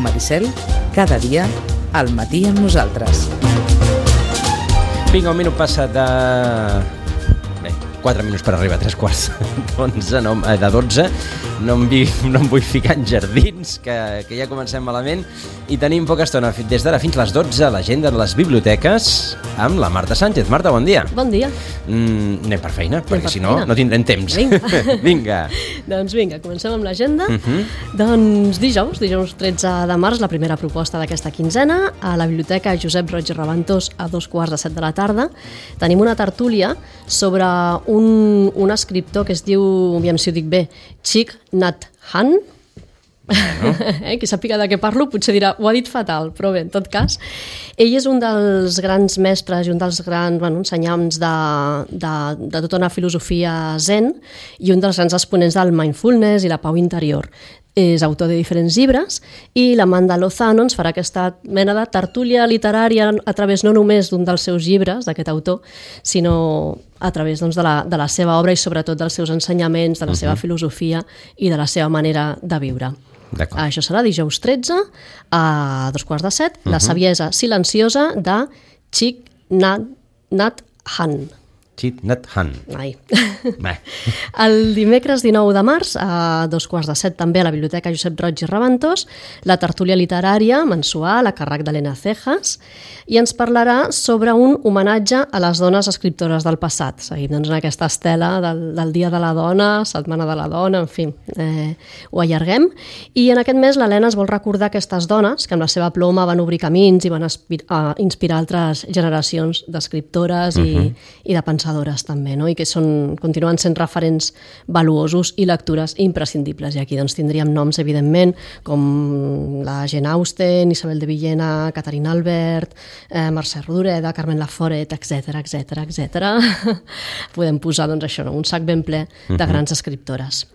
Maricel, cada dia al matí amb nosaltres. Vinga, un minut passa de... 4 minuts per arribar a 3:15 de 12. No em vull ficar en jardins, que ja comencem malament. I tenim poca estona, des d'ara fins les 12, l'agenda de les biblioteques amb la Marta Sánchez. Marta, bon dia. Bon dia. Anem per feina, perquè si no, no tindrem temps. Vinga. Doncs vinga, comencem amb l'agenda. Doncs dijous 13 de març, la primera proposta d'aquesta quinzena, a la Biblioteca Josep Roig i Raventós a 2:15 de la tarda. Tenim una tertúlia sobre un escriptor que es diu, aviam si ho dic bé, Thich Nhat Hanh. Qui sàpiga de què parlo potser dirà, ho ha dit fatal, però bé, en tot cas ell és un dels grans mestres i un dels grans ensenyants de tota una filosofia zen i un dels grans exponents del mindfulness i la pau interior. És autor de diferents llibres i l'Amanda Lozano ens farà aquesta mena de tertúlia literària a través no només d'un dels seus llibres, d'aquest autor, sinó a través de la seva obra i sobretot dels seus ensenyaments, de la seva filosofia i de la seva manera de viure. Això serà dijous 13 a 2:15, La saviesa silenciosa de Thich Nhat Hanh. Thich Nhat Hanh. El dimecres 19 de març, a 2:15 també a la Biblioteca Josep Roig i Raventós, la tertúlia literària mensual a càrrec d'Helena Cejas, i ens parlarà sobre un homenatge a les dones escriptores del passat. Seguim en aquesta estela del Dia de la Dona, Setmana de la Dona, en fi, ho allarguem. I en aquest mes l'Helena es vol recordar aquestes dones que amb la seva ploma van obrir camins i van inspirar altres generacions d'escriptores i de pensadores també, no? I que continuen sent referents valuosos i lectures imprescindibles. I aquí tindríem noms, evidentment, com la Jane Austen, Isabel de Villena, Caterina Albert, Mercè Rodoreda, Carmen Laforet, etc. Podem posar un sac ben ple de grans escriptores.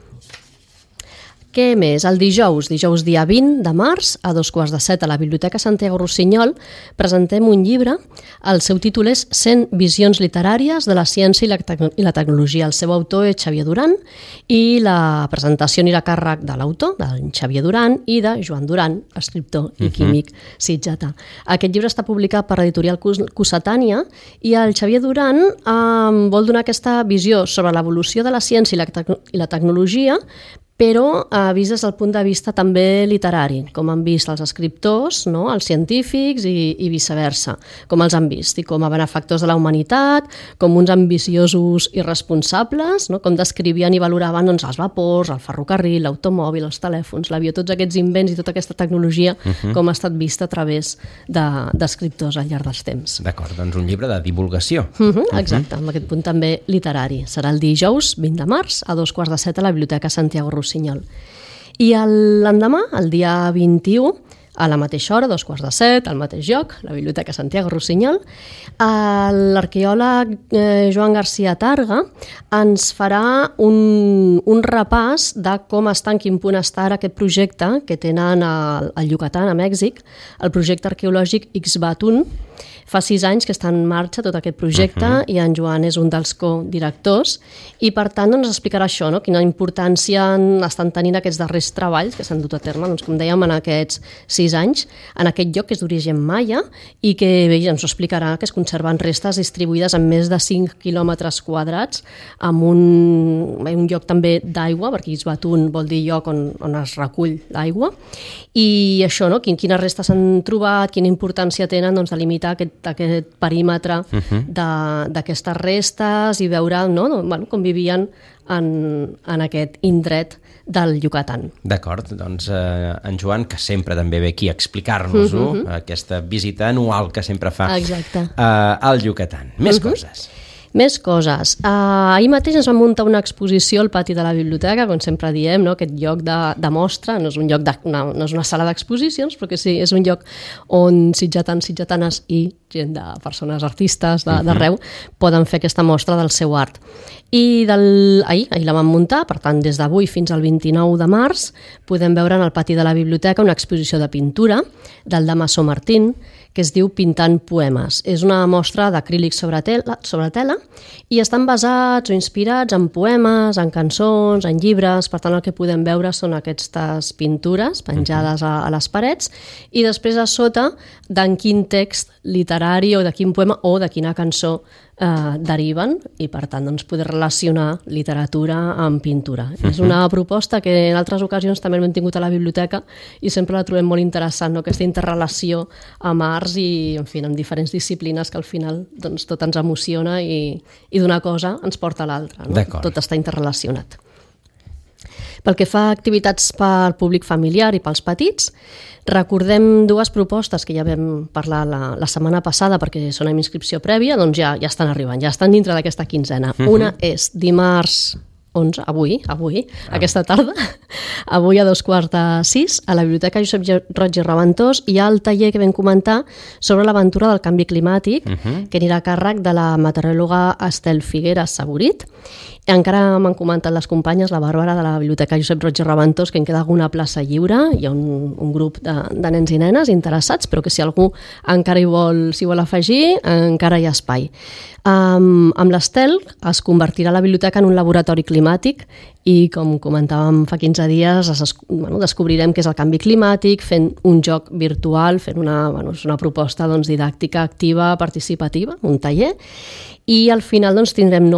Què més? El dijous dia 20 de març, a 2:15 a la Biblioteca Santiago Rossinyol, presentem un llibre. El seu títol és 100 visions literàries de la ciència i la tecnologia. El seu autor és Xavier Duran i la presentació anirà a càrrec de l'autor, del Xavier Duran, i de Joan Duran, escriptor i químic sitgetà. Aquest llibre està publicat per l'editorial Cossetània i el Xavier Duran vol donar aquesta visió sobre l'evolució de la ciència i la tecnologia, però vist des del punt de vista també literari, com han vist els escriptors, els científics i viceversa, com els han vist i com a benefactors de la humanitat, com uns ambiciosos irresponsables, com descrivien i valoraven els vapors, el ferrocarril, l'automòbil, els telèfons, l'avió, tots aquests invents i tota aquesta tecnologia com ha estat vista a través d'escriptors al llarg dels temps. D'acord, doncs un llibre de divulgació. Exacte, amb aquest punt també literari. Serà el dijous 20 de març a 2:15 a la Biblioteca Santiago Rossinyol. I l'endemà, el dia 21, a la mateixa hora, 2:15, al mateix lloc, la Biblioteca Santiago Rossinyol, l'arqueòleg Joan García Targa ens farà un repàs de com està, en quin punt està ara aquest projecte que tenen al Yucatán, a Mèxic, el projecte arqueològic Ixbatún. Fa 6 anys que està en marxa tot aquest projecte i en Joan és un dels codirectors i per tant ens explicarà això, quina importància estan tenint aquests darrers treballs que s'han dut a terme, com dèiem, en aquests 6 anys, en aquest lloc que és d'origen maia i que bé, ens ho explicarà, que es conserven restes distribuïdes en més de 5 quilòmetres quadrats amb un lloc també d'aigua, perquè Ixbatún vol dir lloc on es recull l'aigua, i això, quines restes s'han trobat, quina importància tenen delimitar aquest perímetre d'aquestes restes i veure com vivien en aquest indret del Yucatán. D'acord, doncs en Joan, que sempre també ve aquí a explicar-nos-ho, aquesta visita anual que sempre fa al Yucatán. Més coses. Més coses. Ahir mateix ens vam muntar una exposició al pati de la biblioteca, com sempre diem, aquest lloc de mostra, no és un lloc no és una sala d'exposicions, però que sí, és un lloc on sitgetans, sitgetanes i gent de persones artistes d'arreu poden fer aquesta mostra del seu art. I ahir la vam muntar, per tant, des d'avui fins al 29 de març podem veure en el pati de la biblioteca una exposició de pintura del Damaso Martín, que es diu Pintant poemes. És una mostra d'acrílic sobre tela i estan basats o inspirats en poemes, en cançons, en llibres. Per tant, el que podem veure són aquestes pintures penjades a les parets i després a sota d'en quin text literari o de quin poema o de quina cançó deriven i per tant doncs, poder relacionar literatura amb pintura. És una proposta que en altres ocasions també hem tingut a la biblioteca i sempre la trobem molt interessant, no? Aquesta interrelació amb arts i en fi, amb diferents disciplines que al final doncs, tot ens emociona i d'una cosa ens porta a l'altra. No? Tot està interrelacionat. Pel que fa a activitats pel públic familiar i pels petits, recordem dues propostes que ja vam parlar la setmana passada perquè són amb inscripció prèvia, doncs ja estan arribant, ja estan dintre d'aquesta quinzena. Una és dimarts 11, avui, aquesta tarda, avui a 5:45, a la Biblioteca Josep Roig i Raventós hi ha el taller que vam comentar sobre l'aventura del canvi climàtic, que anirà a càrrec de la meteoròloga Estel Figueras Saborit. Encara m'han comentat les companyes, la Bàrbara de la Biblioteca Josep Roig i Raventós, que en queda alguna plaça lliure, hi ha un grup de nens i nenes interessats, però que si algú encara s'hi vol afegir, encara hi ha espai. Amb l'Estel es convertirà la biblioteca en un laboratori climàtic i, com comentàvem fa 15 dies, descobrirem què és el canvi climàtic fent un joc virtual, fent una proposta didàctica activa, participativa, un taller, i al final tindrem,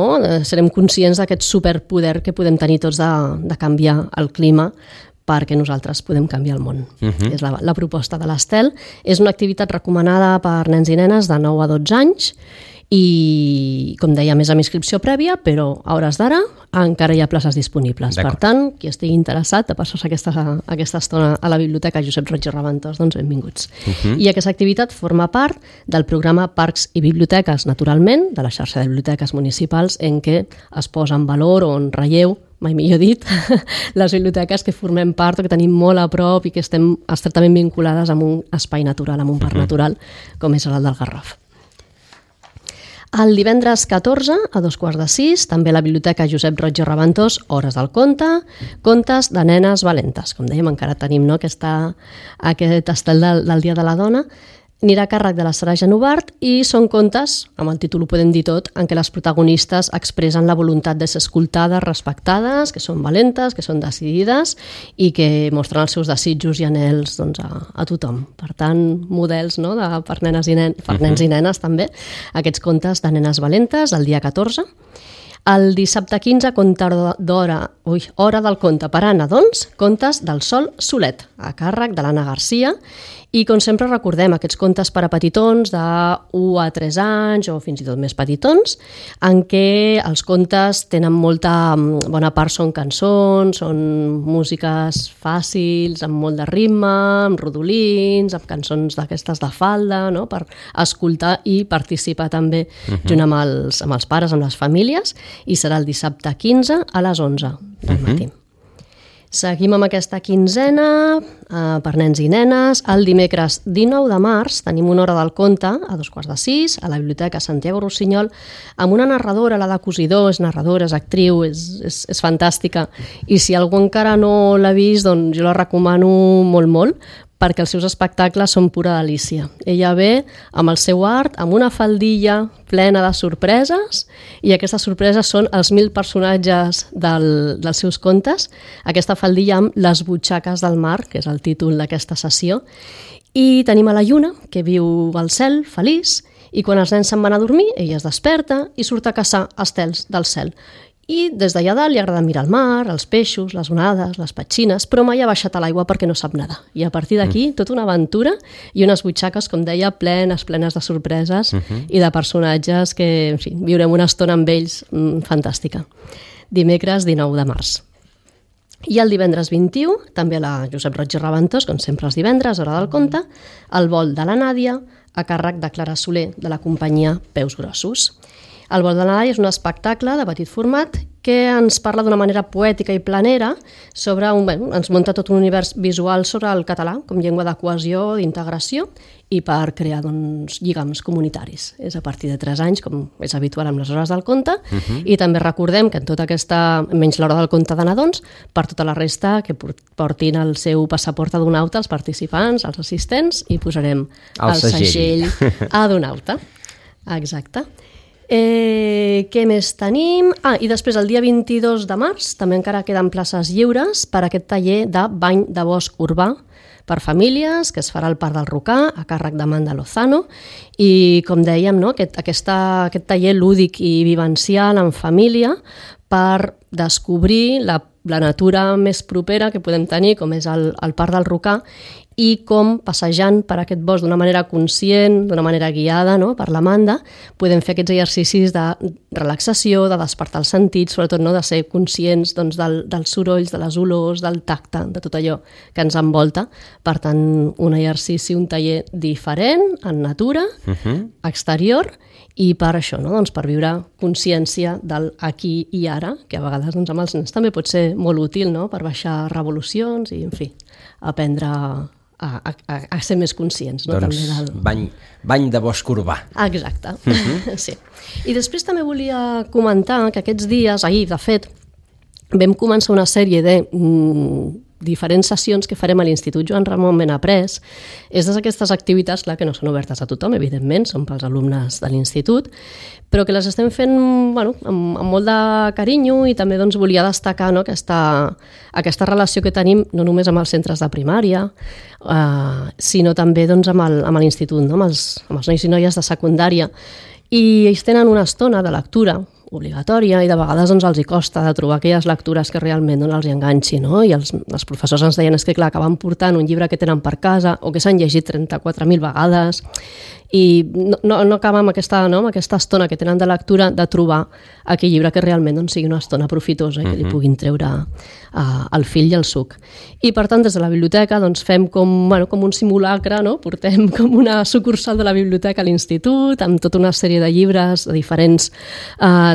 serem conscients d'aquest superpoder que podem tenir tots de canviar el clima perquè nosaltres podem canviar el món. És la proposta de l'Estel. És una activitat recomanada per nens i nenes de 9 a 12 anys i, com deia, més amb inscripció prèvia, però a hores d'ara encara hi ha places disponibles. Per tant, qui estigui interessat de passar-se aquesta estona a la Biblioteca Josep Roig i Raventós, doncs benvinguts. I aquesta activitat forma part del programa Parcs i Biblioteques, naturalment, de la xarxa de biblioteques municipals, en què es posa en valor o en relleu, mai millor dit, les biblioteques que formem part o que tenim molt a prop i que estem estretament vinculades amb un espai natural, amb un parc natural, com és el del Garraf. El divendres 14, a 5:45, també a la Biblioteca Josep Roig i Raventós, Hores del conte, contes de nenes valentes. Com dèiem, encara tenim aquest estel del Dia de la Dona. Anirà a càrrec de la Sara Genovart i són contes, amb el títol ho podem dir tot, en què les protagonistes expressen la voluntat de ser escoltades, respectades, que són valentes, que són decidides i que mostren els seus desitjos i anhels a tothom. Per tant, models per nens i nenes també, aquests contes de nenes valentes el dia 14. El dissabte 15, Hora del conte per a nadons, contes del Sol Solet, a càrrec de l'Anna Garcia. I, com sempre, recordem aquests contes per a petitons de 1 a 3 anys o fins i tot més petitons, en què els contes tenen bona part són cançons, són músiques fàcils, amb molt de ritme, amb rodolins, amb cançons d'aquestes de falda, per escoltar i participar també junt amb els pares, amb les famílies, i serà el dissabte 15 a les 11 del matí. Seguim amb aquesta quinzena per nens i nenes. El dimecres 19 de març tenim una hora del conte a 5:45 a la Biblioteca Santiago Rossinyol amb una narradora, la de Cosidor, és narradora, és actriu, és fantàstica. I si algú encara no l'ha vist, doncs jo la recomano molt, perquè els seus espectacles són pura delícia. Ella ve amb el seu art, amb una faldilla plena de sorpreses, i aquestes sorpreses són els 1000 personatges dels seus contes, aquesta faldilla amb les butxaques del mar, que és el títol d'aquesta sessió, i tenim a la Lluna, que viu al cel, feliç, i quan els nens se'n van a dormir, ella es desperta i surt a caçar estels del cel. I des d'allà dalt li agrada mirar el mar, els peixos, les onades, les petxines, però mai ha baixat a l'aigua perquè no sap nedar. I a partir d'aquí, tota una aventura i unes butxaques, com deia, plenes de sorpreses i de personatges que, en fi, viurem una estona amb ells fantàstica. Dimecres 19 de març. I el divendres 21, també a la Josep Roig i Raventós, com sempre els divendres, hora del conte, el vol de la Nàdia, a càrrec de Clara Soler, de la companyia Peus Grossos. El vol de Nadal és un espectacle de petit format que ens parla d'una manera poètica i planera sobre ens munta tot un univers visual sobre el català com llengua de cohesió, d'integració i per crear lligams comunitaris. És a partir de 3 anys, com és habitual amb les hores del conte, i també recordem que en tota aquesta, menys l'hora del conte de nadons, per tota la resta que portin el seu passaport adonauta els participants, els assistents, i posarem el segell adonauta. Exacte. Què més tenim? I després el dia 22 de març també encara queden places lliures per a aquest taller de bany de bosc urbà per famílies, que es farà al Parc del Rocà, a càrrec d'Amanda Lozano, i com dèiem, no? aquest taller lúdic i vivencial en família per descobrir la natura més propera que podem tenir, com és el Parc del Rocà, i com passejant per aquest bosc d'una manera conscient, d'una manera guiada, no? Per l'Amanda, podem fer aquests exercicis de relaxació, de despertar els sentits, sobretot no? De ser conscients doncs, dels sorolls, de les olors, del tacte, de tot allò que ens envolta. Per tant, un exercici, un taller diferent, en natura, exterior, i per això, no? Doncs per viure consciència del aquí i ara, que a vegades doncs, amb els nens també pot ser molt útil, no? Per baixar revolucions i, en fi, aprendre a ser més conscients. No? Doncs també bany de bosc urbà. Exacte, sí. I després també volia comentar que aquests dies, ahir de fet, vam començar una sèrie de diferents sessions que farem a l'Institut Joan Ramon Benaprés. És d'aquestes activitats, clar, que no són obertes a tothom, evidentment, són pels alumnes de l'Institut, però que les estem fent amb molt de carinyo i també doncs, volia destacar no, aquesta relació que tenim no només amb els centres de primària, sinó també doncs, amb l'Institut, no, amb els nois i noies de secundària. I ells tenen una estona de lectura obligatòria i de vegades doncs, els hi costa de trobar aquelles lectures que realment doncs, els hi enganxi, no? I els professors ens deien que clar, acaben portant un llibre que tenen per casa o que s'han llegit 34.000 vegades i no acaba amb aquesta estona que tenen de lectura de trobar aquell llibre que realment doncs, sigui una estona profitosa i que li puguin treure el fil i el suc. I per tant des de la biblioteca doncs, fem com un simulacre, no? Portem com una sucursal de la biblioteca a l'institut amb tota una sèrie de llibres de diferents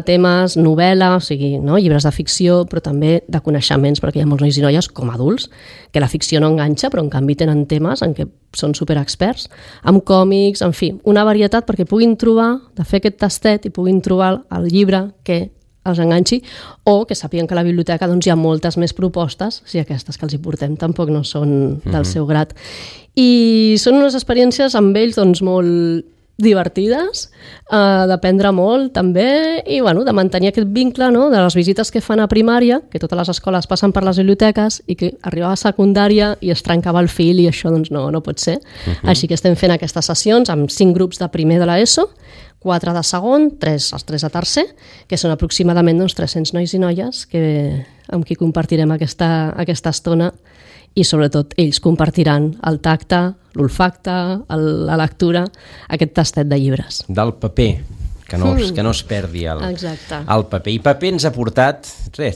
temes, novel·la, o sigui, no? Llibres de ficció, però també de coneixements, perquè hi ha molts nois i noies com adults que la ficció no enganxa, però en canvi tenen temes en què són superexperts, amb còmics, en fi, una varietat perquè puguin trobar, de fer aquest tastet i puguin trobar el llibre que els enganxi o que sàpiguen que a la biblioteca doncs, hi ha moltes més propostes, si aquestes que els hi portem tampoc no són del seu grat. I són unes experiències amb ells doncs, molt divertides, d'aprendre molt també i de mantenir aquest vincle no? De les visites que fan a primària, que totes les escoles passen per les biblioteques i que arribava a secundària i es trencava el fil i això doncs, no pot ser. Així que estem fent aquestes sessions amb 5 grups de primer de l'ESO, 4 de segon, 3 de tercer, que són aproximadament doncs, 300 nois i noies amb qui compartirem aquesta estona i sobretot ells compartiran el tacte, l'olfacte, la lectura, aquest tastet de llibres. Del paper, que no es perdi el paper. I paper ens ha portat,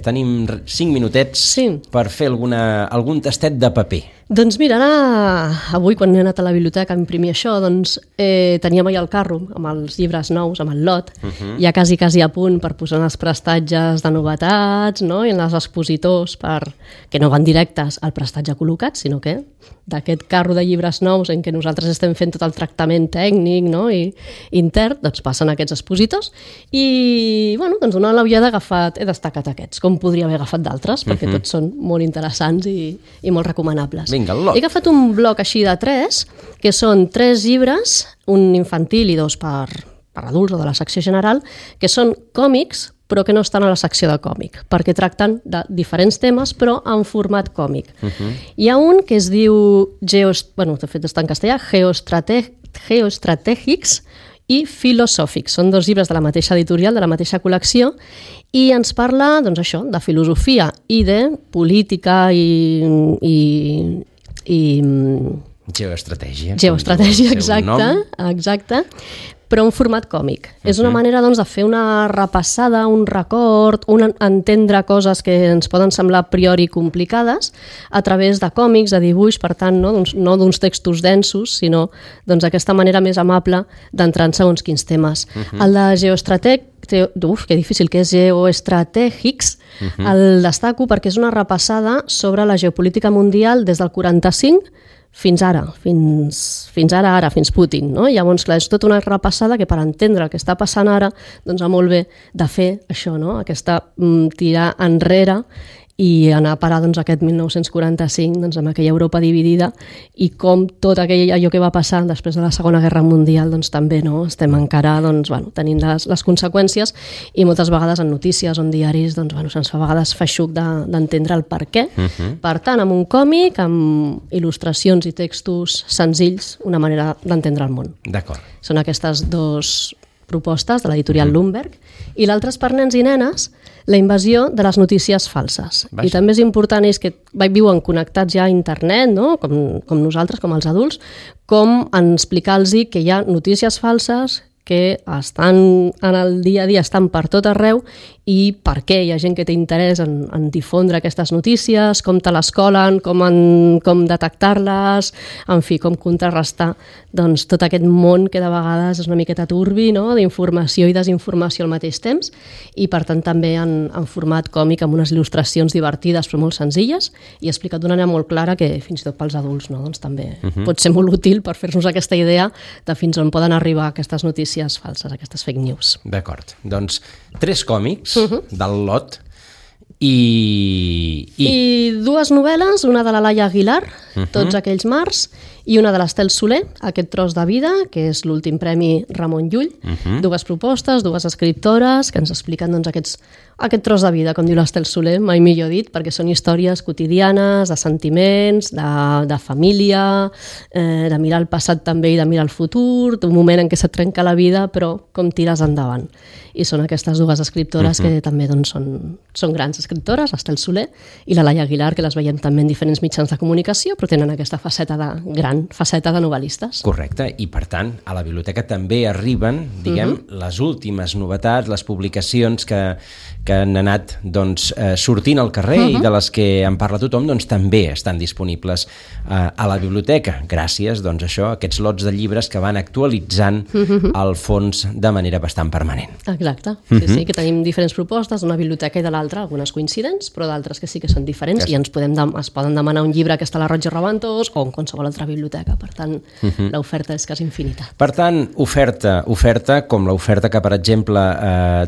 tenim 5 minutets per fer algun tastet de paper. Doncs mira, avui quan he anat a la biblioteca a imprimir això, doncs teníem allà el carro amb els llibres nous, amb el lot, ja quasi a punt per posar els prestatges de novetats, no? I en els expositors, que no van directes al prestatge col·locat, sinó que d'aquest carro de llibres nous en què nosaltres estem fent tot el tractament tècnic no? I intern, doncs passen aquests expositors i doncs donant l'ullada he destacat aquests, com podria haver agafat d'altres, perquè tots són molt interessants i molt recomanables. Vinga, he agafat un bloc així de 3, que són 3 llibres, un infantil i 2 per adults o de la secció general, que són còmics, però que no estan a la secció de còmic, perquè tracten de diferents temes, però en format còmic. Hi ha un que es diu, de fet està en castellà, Geoestratègics i Filosòfics. Són 2 llibres de la mateixa editorial, de la mateixa col·lecció, i ens parla, doncs això, de filosofia i de política i geoestratègia. Geoestratègia, exacte. Però en format còmic. És una manera doncs, de fer una repassada, un record, entendre coses que ens poden semblar a priori complicades a través de còmics, de dibuix, per tant, no d'uns textos densos, sinó aquesta manera més amable d'entrar en segons quins temes. El de que difícil, que és Geoestratègics, el destaco perquè és una repassada sobre la geopolítica mundial des del 45 fins ara, fins Putin. No? Llavors, clar, és tota una repassada que per entendre el que està passant ara, doncs va molt bé de fer això, no? Aquesta tirar enrere i anar a parar aquest 1945 amb aquella Europa dividida i com tot allò que va passar després de la Segona Guerra Mundial també estem encara tenint les conseqüències, i moltes vegades en notícies o en diaris se'ns fa a vegades feixuc d'entendre el per què. Per tant, amb un còmic, amb il·lustracions i textos senzills, una manera d'entendre el món. D'acord. Són aquestes dues propostes de l'editorial Lundberg, i l'altre és per nens i nenes, la invasió de les notícies falses. Vaja. I també és important que viuen connectats ja a internet, no? com nosaltres, com els adults, com en explicar-los que hi ha notícies falses que estan en el dia a dia, estan per tot arreu, i per què hi ha gent que té interès en difondre aquestes notícies, com te les colen, com detectar-les, en fi, com contrarrestar tot aquest món que de vegades és una miqueta turbi, no? D'informació i desinformació al mateix temps, i per tant també en format còmic, amb unes il·lustracions divertides però molt senzilles, i explicat d'una manera molt clara que fins i tot pels adults també pot ser molt útil per fer-nos aquesta idea de fins on poden arribar aquestes notícies falses, aquestes fake news. D'acord, doncs 3 còmics del lot i 2 novel·les, una de la Laia Aguilar, Tots aquells mars, i una de l'Estel Soler, Aquest tros de vida, que és l'últim premi Ramon Llull. 2 propostes, 2 escriptores que ens expliquen aquest tros de vida, com diu l'Estel Soler, mai millor dit, perquè són històries quotidianes, de sentiments, de família, de mirar el passat també i de mirar el futur, d'un moment en què se't trenca la vida, però com tires endavant. I són aquestes 2 escriptores que també són grans escriptores, l'Estel Soler i la Laia Aguilar, que les veiem també en diferents mitjans de comunicació, però tenen aquesta faceta de novel·listes. Correcte, i per tant a la biblioteca també arriben, les últimes novetats, les publicacions que han anat sortint al carrer i de les que en parla tothom, també estan disponibles a la biblioteca, gràcies a aquests lots de llibres que van actualitzant el fons de manera bastant permanent. Exacte, sí, que tenim diferents propostes d'una biblioteca i de l'altra, algunes coincidents, però d'altres que sí que són diferents, i es poden demanar un llibre que està a la Roig i Reventós o en qualsevol altra biblioteca, per tant l'oferta és quasi infinita. Per tant, oferta com l'oferta que, per exemple,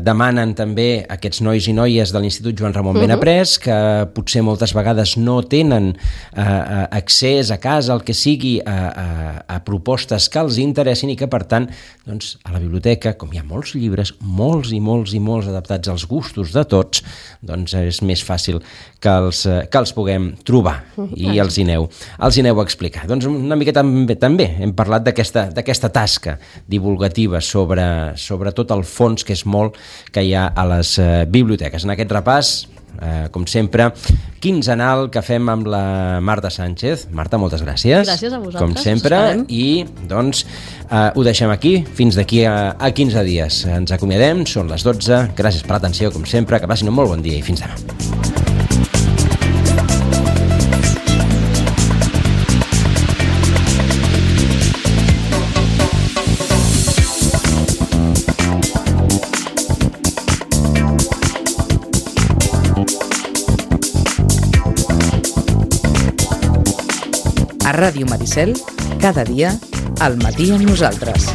demanen també aquests nois i noies de l'Institut Joan Ramon Benaprés, que potser moltes vegades no tenen accés a casa, el que sigui, a propostes que els interessin, i que, per tant, a la biblioteca, com hi ha molts llibres, molts i molts adaptats als gustos de tots, és més fàcil que els puguem trobar i els hi aneu a explicar. Una miqueta també hem parlat d'aquesta tasca divulgativa sobre tot el fons, que és molt, que hi ha a les biblioteques. En aquest repàs, com sempre, quinzenal que fem amb la Marta Sánchez. Marta, moltes gràcies. Gràcies a vosaltres. Com sempre, i ho deixem aquí fins d'aquí a 15 dies. Ens acomiadem, són les 12. Gràcies per l'atenció, com sempre, que passin un molt bon dia i fins demà. A Ràdio Maricel, cada dia, al matí amb nosaltres.